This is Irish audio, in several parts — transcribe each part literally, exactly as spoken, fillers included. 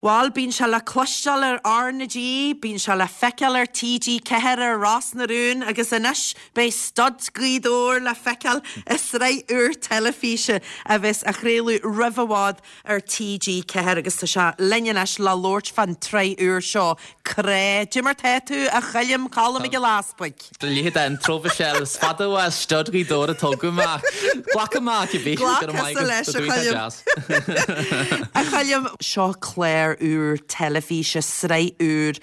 Bhuel, bíonn sé le cloisteáil ar R na G, bíonn sé le feiceáil ar T G ceathair ar Ros na Rún agus anois beidh Stud Ghaoth Dobhair le feiceáil i sraith úr teilifíse a bheas á chraoladh roimh i bhfad ar T G ceathair agus tá sé linn anois le labhairt fán tsraith úr seo, Crá. Cad é mar tá tú, a Choilm, Colm Mac Giolla Easbuig? Léad an trófa is fada was Stud Ghaoth Dobhair a tógadh amach. Glac amach a bhí. Glac leis, a Choilm. A Choilm, seo clár úr teilifíse, sraith úr.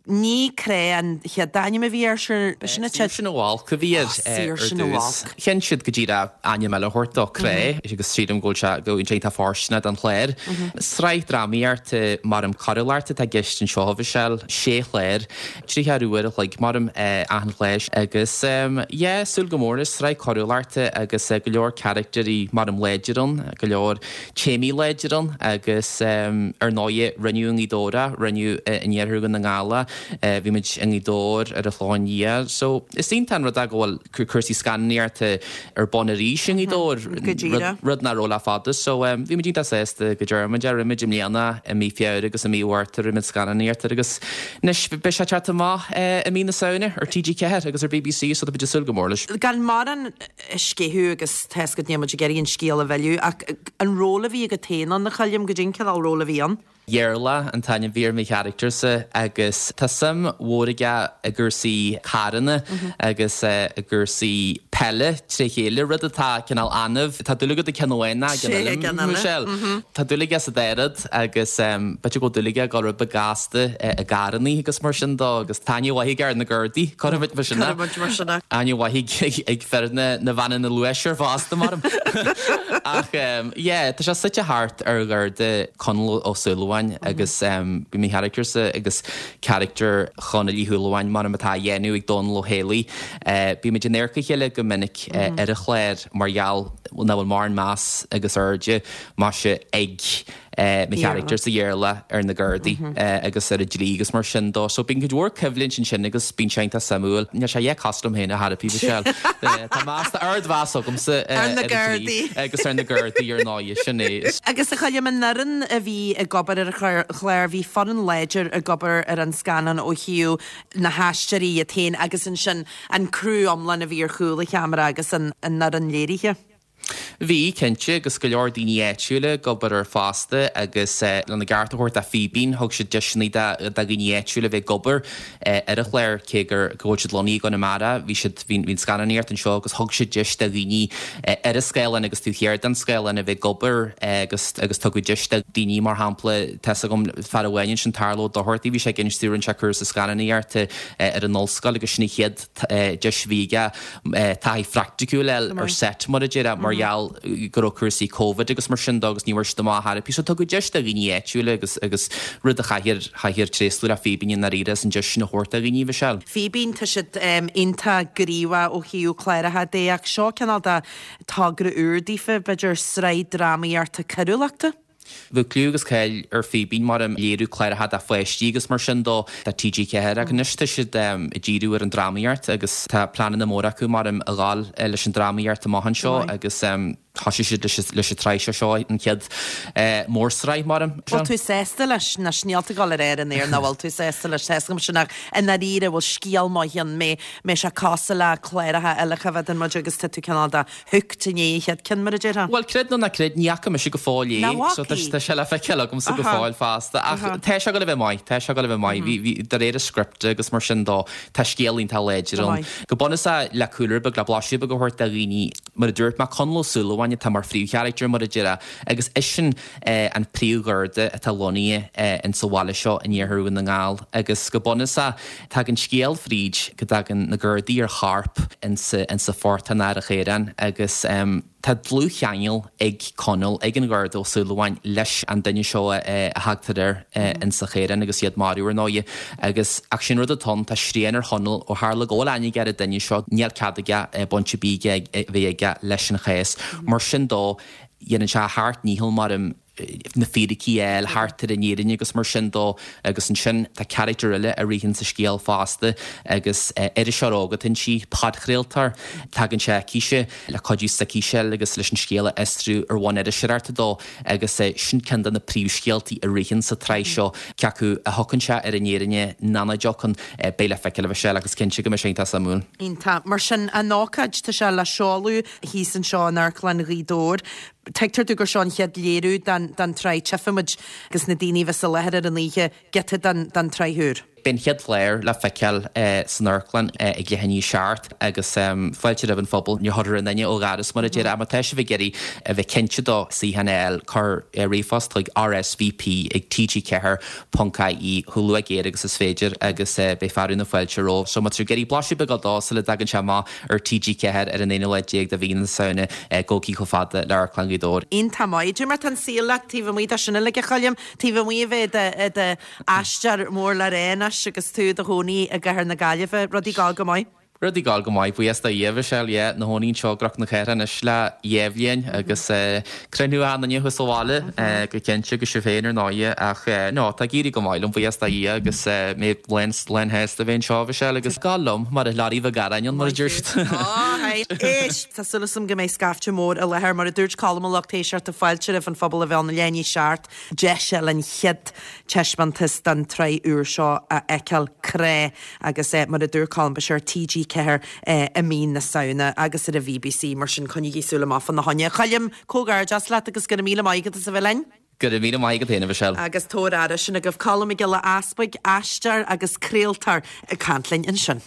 Ní Crá an chéad ainm a bhí air sin? Sin sin bhil go bhí ar dtús. Chinn siad go dtí ainm eile a thabhairt dó, Crá, agus sílim go bhfuil sé go tá fóirsteanach don chlár. Sraith drámaíochta mar an choiriúlachta atá i gceist anseo, a Mhichelle, sé chlár, tríocha uair a chloig mar achan chlár agus yeah, súil go mór leis. Sraith choiriúlachta agus go leor carachtarí mar an láidir ann, go leor téamaí láidir ann agus ar ndóigh rinneadh i nGaoth Dobhair, rinneadh in iarthar na nGall, bhí muid i nGaoth Dobhair ar an Chlochán Liath. So is iontach an rud é go bhfuil cúrsaí scannánaíochta ar bun arís i nGaoth Dobhair, rud nach raibh le fada. So bhí muid iontach sásta go dtearn muid é. Rinne muid i mbliana i mí Feabhra agus i mí Mhárta rinne muid scannánaíocht agus anois beidh sé teacht amach i mí na Samhna ar T G ceathair agus ar B B C, so tá muid ag súil go mór leis. Gan mórán a sceitheadh agus tá go ndéanfaidh muid ag iarraidh an scéal a mhilleadh, ach an ról a bhí agat féin ann, a Choilm, goidé an cineál ról a bhí ann? Iarla an t-ainm a bhí ar mo charachtarsa agus tá suim mhór aige i gcúrsaí carranna agus i gcúrsaí peile trí chéile, rud atá cineál annamh. Tá dúil agat i gceann amháin ná i gceann eile, Michelle. Tá dúil aige sa dá rud agus b'fhéidir go bhfuil dúil aige go rud beag gasta i gcarranna agus mar sin dó agus tá aithne mhaith aige ar na Gardaí, cuirfimid mar sin é. Cuirfimid mar sin é. Aithne mhaith ag fir na na veaineanna luais ar fosta mar. Ach yeah, tá sé suite thart ar Gharda Conall Ó Súilleabháin agus bhí mo charachtarsa agus charachtar Chonaill Uí Shúilleabháin mar atá á dhéanamh ag Dónal Ó Héalaí. Bímid in adharca a chéile go minic ar an chlár mar gheall nach bhfuil mórán meas agus airde maise ag mo charachtar sa Iarla ar na Gardaí agus ar an dlí agus mar sin dó. So bíonn cuid mhór coimhlint ansin agus bíonn sé iontach suimiúil. Níl sé dhe cosúil liom féin a therapy, Michelle. Tá meas ardmheas agamsa ar na Gardaí agus ar na Gardaí ar ndóigh, sin é. Agus a Choilm, an fhoireann a bhí ag obair ar an chlár, bhí foireann láidir ag obair ar an scannán ó thaobh na haisteoirí iad féin agus ansin an criú iomlán a bhí ar chúl an cheamara agus an an fhoireann léirithe. Bhí, cinnte, agus go leor daoine áitiúla ag obair air fosta agus lena gceart a thabhairt do Fíbín, thug siad deiseanna do dhaoine áitiúla bheith ag obair ar an chlár cé gur go bhfuil siad lonnaithe i gConamara, bhí siad bhí an scannánaíocht anseo agus thug siad deis do dhaoine ar an scáileán agus taobh thiar den scáileán a bheith ag obair agus agus tugadh deis do dhaoine, mar shampla, tá a fhios agam fear amháin ansin, Tarló Doherty, bhí sé ag insint rinne sé cúrsa scannánaíochta ar an ollscoil agus sin an chéad deis a bhí aige taithí phraiticiúil ar set, mar a déarfá, mar gheall go raibh cúrsaí Covid agus mar sin dó agus ní bhfuair siad amach therapy. So tugadh deis do dhaoine áitiúla agus agus rud a chaithfear chaithfear tréaslú le Fíbín i ndáiríre as an deis sin a thabhairt do dhaoine, Michelle. Fíbín, tá siad iontach gníomhach ó thaobh cláracha de ach seo cineál de togra úr daofa, b'fhéidir sraith drámaíochta coiriúlachta. Bhí clú agus cáil ar Fíbín mar an léiriú cláracha do pháistí agus mar sin dó do T G ceathair ach anois tá siad ag díriú ar an drámaíocht agus tá pleananna móra acu mar a ghabháil leis an drámaíocht amach anseo agus thosaigh siad leis an tsraith seo, seo an chéad mhórsraith mar. Bhfuil tú sásta leis? Anois níl tú ag dul a rá ar an aer nach bhfuil tú sásta leis. Tá sin ach i ndáiríre bhfuil scéal maith ann, mé mé sé cosúil le cláracha eile a bheith muid agus tá tú cineál de hooked i ndiaidh an chéad ceann, mar a déarfá. Well, creid nó ná creid, ní fhaca mise go fóill é, so tá sé le feiceáil agamsa go fóill fosta. Ach tá sé ag dul a bheith maith, tá sé ag dul a bheith maith. Bhí de réir an script agus mar sin dó, tá scéal iontach láidir ann. Go bunúsach le cúlra beag, le blaiseadh beag a thabhairt do dhaoine, mar a dúirt mé, Conall Ó Súilleabháin atá mar phríomhcharachtar, mar a déarfá, agus eisean an príomhgharda atá lonnaithe in sa bhaile seo in iarthar Dhún na nGall agus go bunúsach tagann scéal fríd go dtagann na Gardaí ar chorp insa insa phortach ar an Chaorán agus tá dlúthcheangal ag Conall, ag an Gharda Ó Súilleabháin, leis an duine seo a thagtar air insa Chaorán agus iad marbh ar ndóigh agus ach sin rud atá ann, tá srian ar Chonall ó tharla go bhfuil aithne aige ar an duine seo, níl cead aige baint ar bith a bheith aige leis an chás. Mar sin dó, dhéanann sé a sheacht ndícheall mar na fíricí a fháil thart ar an fhírinne agus mar sin dó agus ansin tá carachtar eile a ritheann sa scéal fosta agus iriseoir óg atá inti, podchraoltóir. Tagann sé chuici le cuidiú s'aicise agus leis an scéal a fhiosrú ar bhonn iriseoireachta dó agus sin ceann de na príomhscéaltaí a ritheann sa tsraith seo, cé acu a thiocfaidh sé ar an fhírinne nó nach dtiocfaidh, beidh le feiceáil a Mhichelle agus cinnte go mbeidh sé iontach suimiúil. Iontach. Mar sin, an ócáid, tá sé le seoladh thíos anseo in Amharclann Ghaoth Dobhair. Tuigtear domh gur seo an chéad léiriú den den tsraith. Tchífimid agus na daoine a bheas i láthair ar an oíche giota den den tsraith úr. Beidh an chéad chlár le feiceáil san amharclann ag leath i ndiaidh a seacht agus fáilte roimh an phobal. Níor chuir aon duine ó dhoras mar a déarfá. Má tá sibh ag iarraidh a bheith cinnte do suíochán a fháil, cuir ríomhphost chuig R S V P ag T G ceathair ponc I E chomh luath géar agus is féidir agus beidh fearadh na fáilte romhaibh. So má tá sibh ag iarraidh blaiseadh beag a fháil dó sula dtagann sé amach ar T G ceathair ar an aonú lá déag de mhí na Samhna, gabhaigí chomh fada le Amharclann Ghaoth Dobhair. Iontach maith. Cad é mar tá an saol leat taobh amuigh de sin uilig, a Choilm, taobh amuigh a bheith i d'aisteoir mór le rá anois agus tú i do chónaí i gcathair na Gaillimhe. Rudaí ag gabháil go maith? Rudaí ag gabháil go maith, buíochas do Dhia, Michelle, yeah, 'na chónaí anseo i gCnoc na Cathrach anois le dhá bhliain agus cruinniú achan duine thuas sa bhaile go cinnte agus sibh féin ar ndóighe ach no, tá ag éirí go maith liom, buíochas do Dhia agus mé lán lán shásta a bheith anseo, Michelle, agus gabháil liom mar a learaí bheag aráin ann mar a deir siad. Éist, tá súil agam go mbeidh scaifte mór i láthair mar a dúirt Colm a lucht éisteachta fáilte roimh an phobal a bheith ann leath i ndiaidh a seacht deis eile an chéad taispeántas den tsraith úr seo a fheiceáil, Crá, agus mar a dúirt Colm beidh sé ar T G ceathair i mí na Samhna agus ar an B B C, mar sin coinnigí súil amach fána choinne. Choilm, comhghairdeas leat agus go raibh míle maith agat as a bheith linn. Go raibh míle maith agat féin, a Mhichelle. Agus tabhair aire, sin agaibh Colm Mac Giolla Easpaig, aisteoir agus craoltóir ag caint linn ansin.